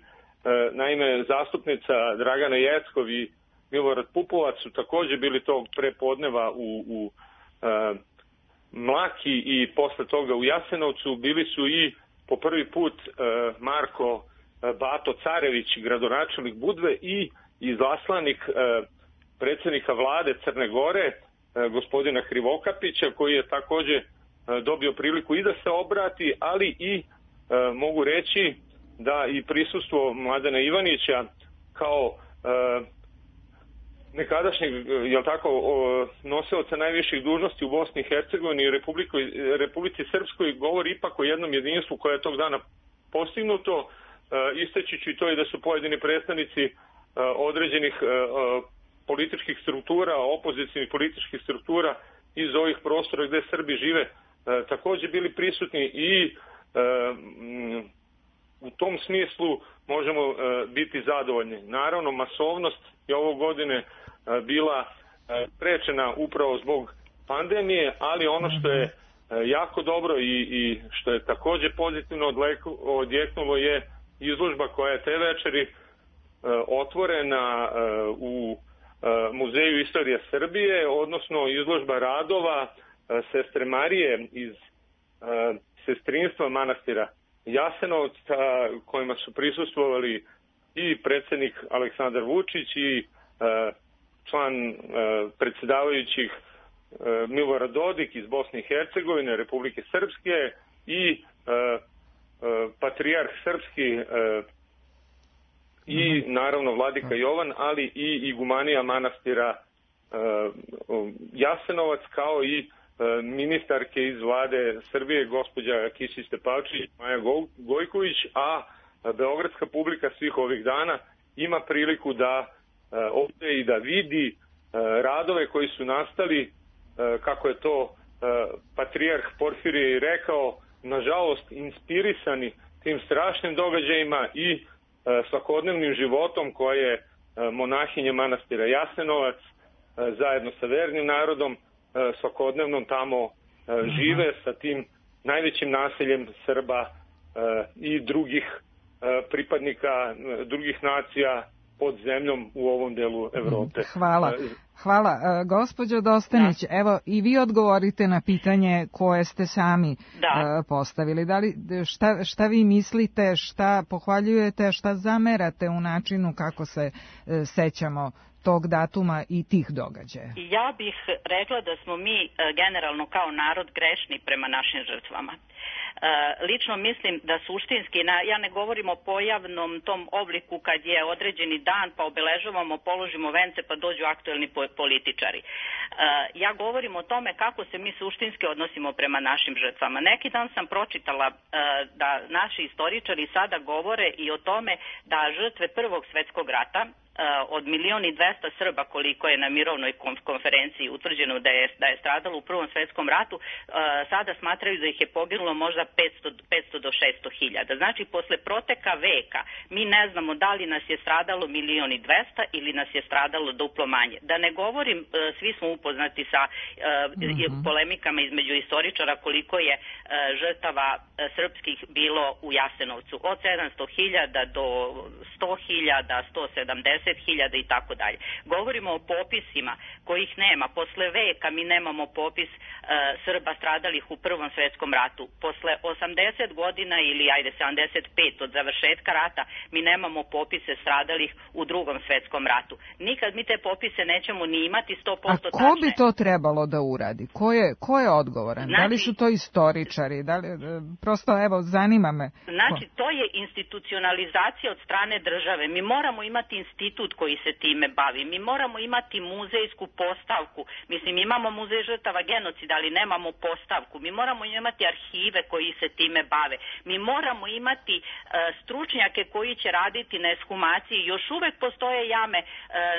naime zastupnica Dragana Jeckov i Milorad Pupovac su takođe bili tog prepodneva u Mlaki i posle toga u Jasenovcu. Bili su i po prvi put Marko Bato Carević, gradonačelnik Budve, i izaslanik predsjednika vlade Crne Gore, gospodina Krivokapića, koji je takođe dobio priliku i da se obrati, ali i mogu reći da i prisustvo Mladena Ivanića kao nekadašnjeg, nosioca najviših dužnosti u Bosni i Hercegovini i Republici Srpskoj govori ipak o jednom jedinstvu koje je tog dana postignuto, isteći ću i to i da su pojedini predstavnici određenih političkih struktura, opozicijnih političkih struktura iz ovih prostora gde Srbi žive takođe bili prisutni i u tom smislu možemo biti zadovoljni. Naravno, masovnost je ove godine bila sprečena upravo zbog pandemije, ali ono što je jako dobro i što je takođe pozitivno odjeknulo je izložba koja je te večeri otvorena u Muzeju istorije Srbije, odnosno izložba radova sestre Marije iz sestrinstva manastira Jasenovca, kojima su prisustvovali i predsjednik Aleksandar Vučić i član predsjedavajućih Milorad Dodik iz Bosne i Hercegovine, Republike Srpske i patrijarh srpski i naravno vladika Jovan, ali i igumanija manastira Jasenovac, kao i ministarke iz vlade Srbije, gospođa Kisić Tepavčević, Maja Gojković, a beogradska publika svih ovih dana ima priliku da ovde i da vidi radove koji su nastali, kako je to patrijarh Porfirije i rekao, nažalost inspirisani tim strašnim događajima i svakodnevnim životom koje monahinje manastira Jasenovac zajedno sa vernim narodom svakodnevno tamo žive sa tim najvećim naseljem Srba i drugih pripadnika drugih nacija pod zemljom u ovom delu Evrope. Hvala. Gospođo Dostanić, evo i vi odgovorite na pitanje koje ste sami postavili. Šta vi mislite, šta pohvaljujete, šta zamerate u načinu kako se sećamo tog datuma i tih događaja? Ja bih rekla da smo mi generalno kao narod grešni prema našim žrtvama. Lično mislim da suštinski, ja ne govorim o pojavnom tom obliku kad je određeni dan pa obeležavamo, položimo vence pa dođu aktuelni političari. Ja govorim o tome kako se mi suštinski odnosimo prema našim žrtvama. Neki dan sam pročitala da naši istoričari sada govore i o tome da žrtve Prvog svetskog rata, od 1.200.000 Srba koliko je na mirovnoj konferenciji utvrđeno da je stradalo u Prvom svetskom ratu, sada smatraju da ih je poginulo možda 500 do 600.000. Znači, posle proteka veka mi ne znamo da li nas je stradalo 1.200.000 ili nas je stradalo duplo manje. Da ne govorim, svi smo upoznati sa polemikama između istoričara koliko je žrtava srpskih bilo u Jasenovcu. Od 700.000 do 100.000, 170.000 i tako dalje. Govorimo o popisima kojih nema. Posle veka mi nemamo popis Srba stradalih u Prvom svetskom ratu. Posle 80 godina ili 75 od završetka rata mi nemamo popise stradalih u Drugom svetskom ratu. Nikad mi te popise nećemo ni imati 100% tačne. A ko bi to trebalo da uradi? Ko je odgovoran? Znači, da li su to istoričari? Prosto, evo, zanima me. Znači, to je institucionalizacija od strane države. Mi moramo imati institut koji se time bavi. Mi moramo imati muzejsku postavku. Mislim, imamo muzej žrtava genocida, ali nemamo postavku. Mi moramo imati arhive koji se time bave. Mi moramo imati stručnjake koji će raditi na ekshumaciji. Još uvek postoje jame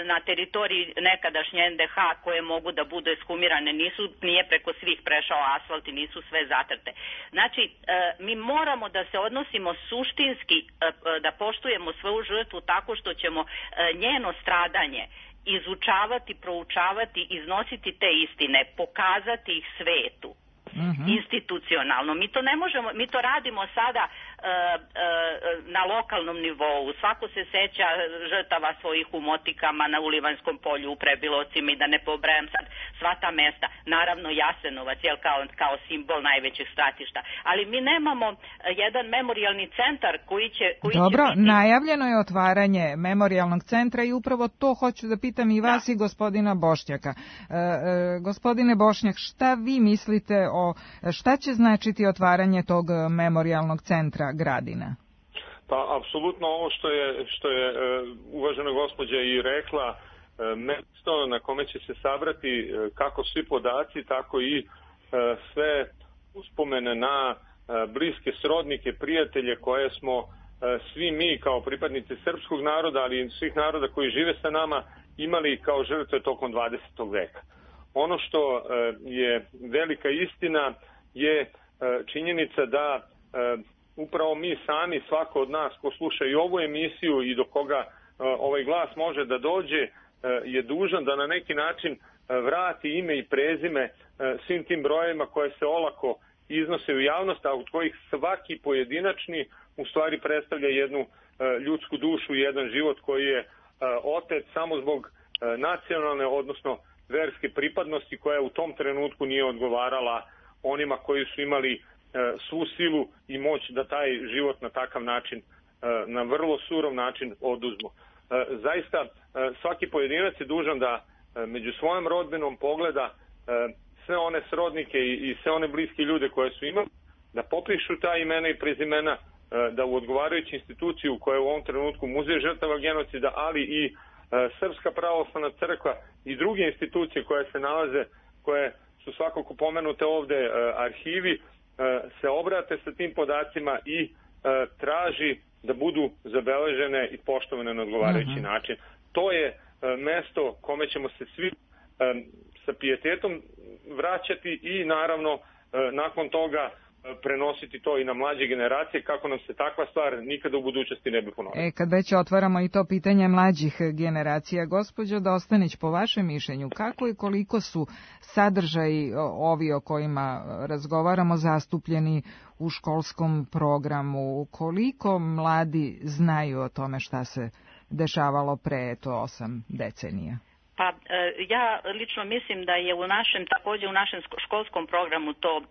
na teritoriji nekadašnje NDH koje mogu da budu ekshumirane. Nije preko svih prešao asfalt i nisu sve zatrte. Znači, mi moramo da se odnosimo suštinski, da poštujemo svoju žrtvu tako što ćemo njeno stradanje izučavati, proučavati, iznositi te istine, pokazati ih svetu. Institucionalno. Mi to ne možemo, mi to radimo sada na lokalnom nivou. Svako se seća žrtava svojih u Motikama, na Ulivanskom polju, u Prebilovcima i da ne pobrajam sad sva ta mesta. Naravno Jasenovac, jel, kao simbol najvećeg stratišta. Ali mi nemamo jedan memorijalni centar koji će Dobro, biti... najavljeno je otvaranje memorijalnog centra i upravo to hoću da pitam i vas i gospodina Bošnjaka. Gospodine Bošnjak, šta vi mislite šta će značiti otvaranje tog memorijalnog centra Gradina? Pa, apsolutno ovo što je uvažena gospođa i rekla, mesto na kome će se sabrati kako svi podaci, tako i sve uspomene na bliske srodnike, prijatelje koje smo svi mi kao pripadnici srpskog naroda, ali i svih naroda koji žive sa nama, imali kao žrtve tokom 20. veka. Ono što je velika istina je činjenica da upravo mi sami, svako od nas ko sluša i ovu emisiju i do koga ovaj glas može da dođe, je dužan da na neki način vrati ime i prezime svim tim brojevima koje se olako iznose u javnost, a od kojih svaki pojedinačni u stvari predstavlja jednu ljudsku dušu i jedan život koji je otet samo zbog nacionalne, odnosno verske pripadnosti koja u tom trenutku nije odgovarala onima koji su imali svu silu i moć da taj život na takav način, na vrlo surov način oduzmu. Zaista svaki pojedinac je dužan da među svojom rodbinom pogleda sve one srodnike i sve one bliske ljude koje su imali, da popišu ta imena i prezimena, da u odgovarajuću instituciju koja je u ovom trenutku Muzej žrtava genocida, ali i Srpska pravoslavna crkva i druge institucije koje se nalaze, koje su svakako pomenute ovde, arhivi, se obrate sa tim podacima i traži da budu zabeležene i poštovane na odgovarajući način. To je mesto kome ćemo se svi sa pijetetom vraćati i naravno nakon toga prenositi to i na mlađe generacije kako nam se takva stvar nikada u budućnosti ne bi ponovila. Kad već otvaramo i to pitanje mlađih generacija, gospođo Dostanić, po vašem mišljenju, kako i koliko su sadržaji ovi o kojima razgovaramo zastupljeni u školskom programu, koliko mladi znaju o tome šta se dešavalo pre 8 decenija? Pa ja lično mislim da je također u našem školskom programu to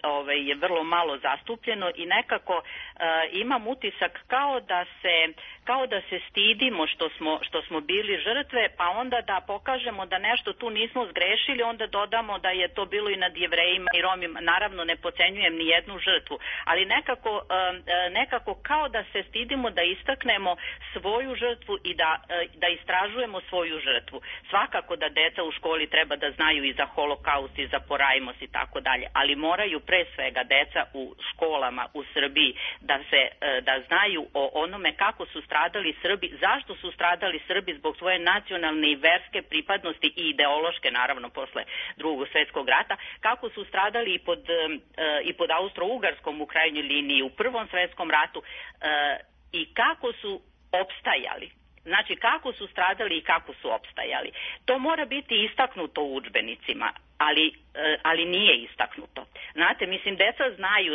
je vrlo malo zastupljeno i nekako imam utisak kao da se stidimo što smo bili žrtve, pa onda da pokažemo da nešto tu nismo zgrešili, onda dodamo da je to bilo i nad Jevrejima i Romima. Naravno ne podcenjujem ni jednu žrtvu, ali nekako kao da se stidimo da istaknemo svoju žrtvu i da istražujemo svoju žrtvu. Svakako da deca u školi treba da znaju i za holokaust i za porajmos i tako dalje, ali moraju pre svega deca u školama u Srbiji da znaju o onome kako su stradali Srbi, zašto su stradali Srbi zbog svoje nacionalne i verske pripadnosti i ideološke, naravno posle Drugog svjetskog rata, kako su stradali i pod Austro-Ugarskom u krajnjoj liniji u Prvom svjetskom ratu i kako su opstajali. Znači, kako su stradali i kako su opstajali. To mora biti istaknuto u udžbenicima, ali nije istaknuto. Znate, mislim, deca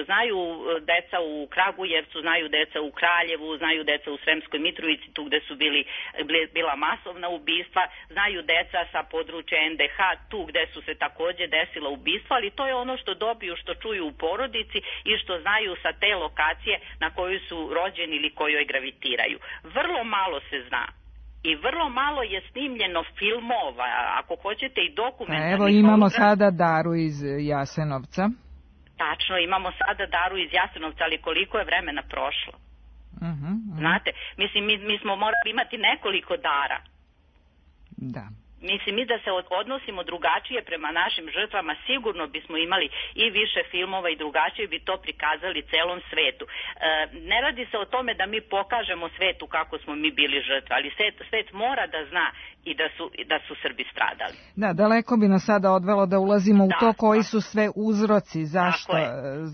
znaju deca u Kragujevcu, znaju deca u Kraljevu, znaju deca u Sremskoj Mitrovici, tu gde su bila masovna ubistva, znaju deca sa područja NDH, tu gde su se takođe desila ubistva, ali to je ono što dobiju, što čuju u porodici i što znaju sa te lokacije na koju su rođeni ili kojoj gravitiraju. Vrlo malo se zna. I vrlo malo je snimljeno filmova, ako hoćete i dokumentarnih. Evo imamo sada Daru iz Jasenovca. Tačno, imamo sada Daru iz Jasenovca, ali koliko je vremena prošlo? Znate, mislim, mi smo morali imati nekoliko Dara. Da. Mislim, mi da se odnosimo drugačije prema našim žrtvama, sigurno bismo imali i više filmova i drugačije bi to prikazali celom svetu. Ne radi se o tome da mi pokažemo svetu kako smo mi bili žrtve, ali svet mora da zna i da su Srbi stradali. Da, daleko bi nas sada odvelo da ulazimo u to koji su sve uzroci,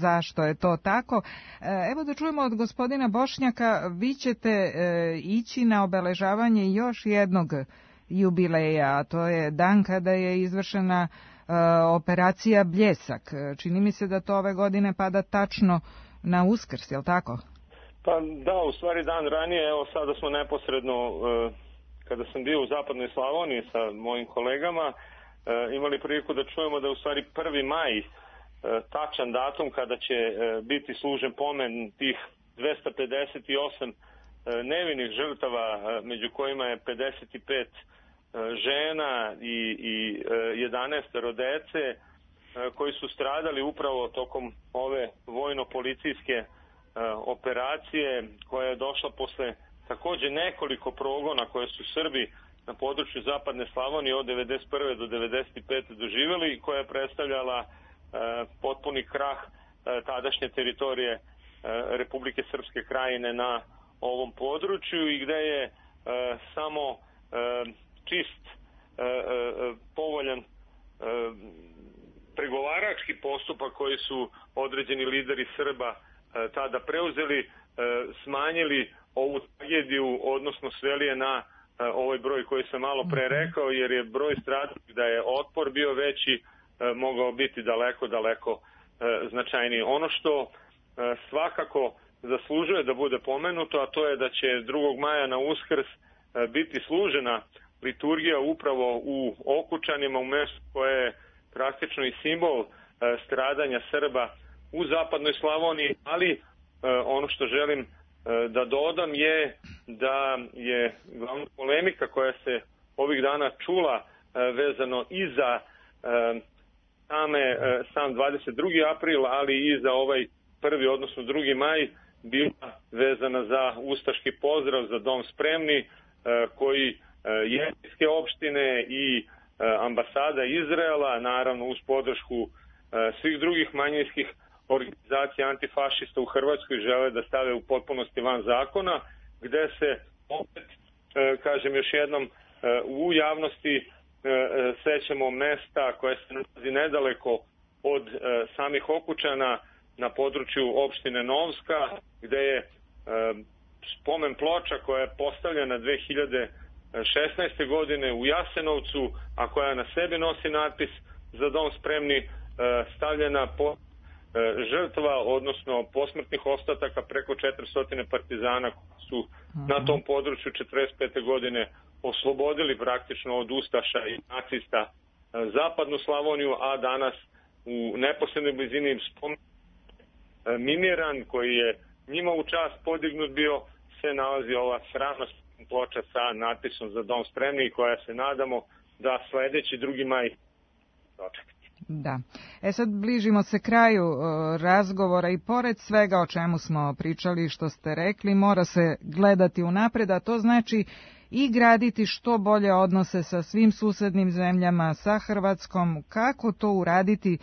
zašto je to tako. Evo da čujemo od gospodina Bošnjaka, vi ćete ići na obeležavanje još jednog jubileja, a to je dan kada je izvršena operacija Bljesak. Čini mi se da to ove godine pada tačno na Uskrs, je li tako? Pa da, u stvari dan ranije, evo sada smo neposredno, kada sam bio u Zapadnoj Slavoniji sa mojim kolegama, imali priliku da čujemo da je u stvari 1. maj tačan datum kada će biti služen pomen tih 258 nevinih žrtava, među kojima je 55 žena i 11 dece koji su stradali upravo tokom ove vojno-policijske operacije koja je došla posle takođe nekoliko progona koje su Srbi na području Zapadne Slavonije od 1991. do 1995. doživjeli i koja je predstavljala potpuni krah tadašnje teritorije Republike Srpske Krajine na ovom području i gde je samo čist, povoljan pregovarački postupak koji su određeni lideri Srba tada preuzeli, smanjili ovu tragediju, odnosno sveli je na ovaj broj koji sam malo pre rekao, jer je broj stradalih, da je otpor bio veći, mogao biti daleko značajniji. Ono što svakako zaslužuje da bude pomenuto, a to je da će 2. maja na Uskrs biti služena liturgija upravo u Okučanima, u mestu koje je praktično i simbol stradanja Srba u Zapadnoj Slavoniji, ali ono što želim da dodam je da je glavna polemika koja se ovih dana čula vezano i za sam 22. april, ali i za ovaj 1. odnosno 2. maj, bila vezana za ustaški pozdrav za Dom spremni, koji jevrejske opštine i ambasada Izraela, naravno uz podršku svih drugih manjinskih organizacija antifašista u Hrvatskoj, žele da stave u potpunosti van zakona, gde se opet, kažem još jednom, u javnosti sećamo mesta koje se nalazi nedaleko od samih Okučana na području opštine Novska, gde je spomen ploča koja je postavljena 2016. godine u Jasenovcu, a koja na sebi nosi natpis za Dom spremni, stavljena po žrtva, odnosno posmrtnih ostataka preko 400 partizana koji su na tom području 45. godine oslobodili praktično od ustaša i nacista zapadnu Slavoniju, a danas u neposrednoj blizini spomen miniran, koji je njima u čast podignut bio, se nalazi ova sramna ploča sa natpisom za Dom spremni, koja se nadamo da sledeći 2. maj dočekati. Da. Sad bližimo se kraju razgovora i pored svega o čemu smo pričali, što ste rekli, mora se gledati unapred, a to znači i graditi što bolje odnose sa svim susednim zemljama, sa Hrvatskom. Kako to uraditi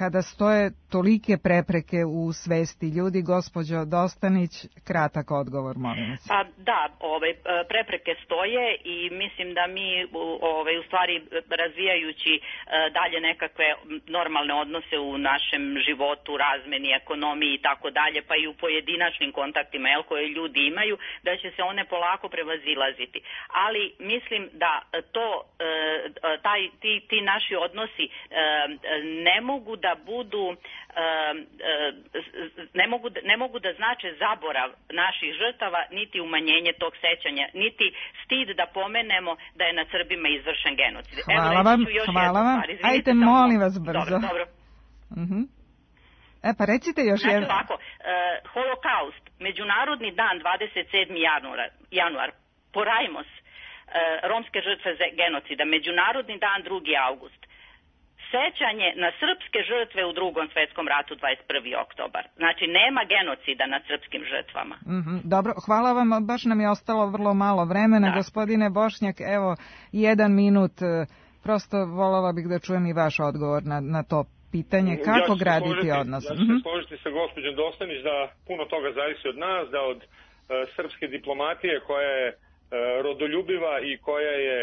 kada stoje tolike prepreke u svesti ljudi? Gospođo Dostanić, kratak odgovor, molim vas. Pa da, prepreke stoje i mislim da mi u stvari razvijajući dalje nekakve normalne odnose u našem životu, razmeni, ekonomiji i tako dalje, pa i u pojedinačnim kontaktima koje ljudi imaju, da će se one polako prevazilaziti. Ali mislim da ti naši odnosi ne mogu da budu ne mogu da znače zaborav naših žrtava, niti umanjenje tog sećanja, niti stid da pomenemo da je nad Srbima izvršen genocid. Hvala vam. Ajte, molim vas brzo. Dobro. Pa recite još jedno. Znači ovako, Holokaust, Međunarodni dan 27. januar, porajmos, romske žrtve genocida, Međunarodni dan 2. august. Sećanje na srpske žrtve u Drugom svetskom ratu 21. oktobar. Znači, nema genocida nad srpskim žrtvama. Dobro, hvala vam, baš nam je ostalo vrlo malo vremena. Da. Gospodine Bošnjak, evo, 1 minut, prosto voljela bih da čujem i vaš odgovor na to pitanje. Kako graditi odnos? Ja ću se složiti sa gospođom Dostanić da puno toga zavisi od nas, da od srpske diplomatije koja je rodoljubiva i koja je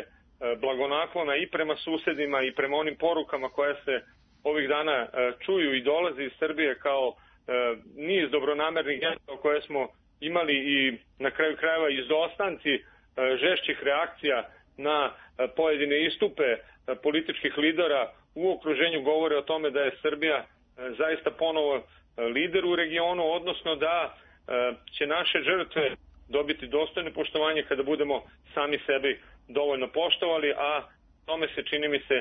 blagonaklona i prema susedima i prema onim porukama koje se ovih dana čuju i dolazi iz Srbije kao niz dobronamernih gesta koje smo imali i na kraju krajeva izostanci žešćih reakcija na pojedine istupe političkih lidera u okruženju govore o tome da je Srbija zaista ponovo lider u regionu, odnosno da će naše žrtve dobiti dostojno poštovanje kada budemo sami sebi dovoljno poštovali, a tome se, čini mi se,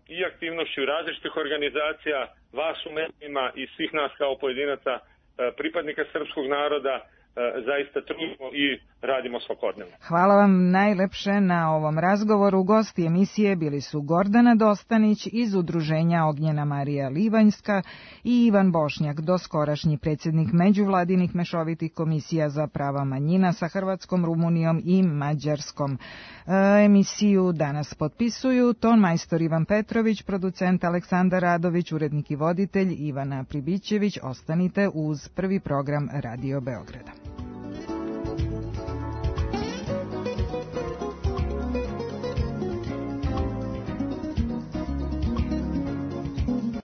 i aktivnošću različitih organizacija, vas u medijima i svih nas kao pojedinaca, pripadnika srpskog naroda, zaista trudimo i radimo svakodnevno. Hvala vam najlepše na ovom razgovoru. Gosti emisije bili su Gordana Dostanić iz Udruženja Ognjena Marija Livanjska i Ivan Bošnjak, doskorašnji predsjednik međuvladinih mešovitih komisija za prava manjina sa Hrvatskom, Rumunijom i Mađarskom. Emisiju danas potpisuju ton majstor Ivan Petrović, producent Aleksandar Radović, urednik i voditelj Ivana Pribićević. Ostanite uz prvi program Radio Beograda.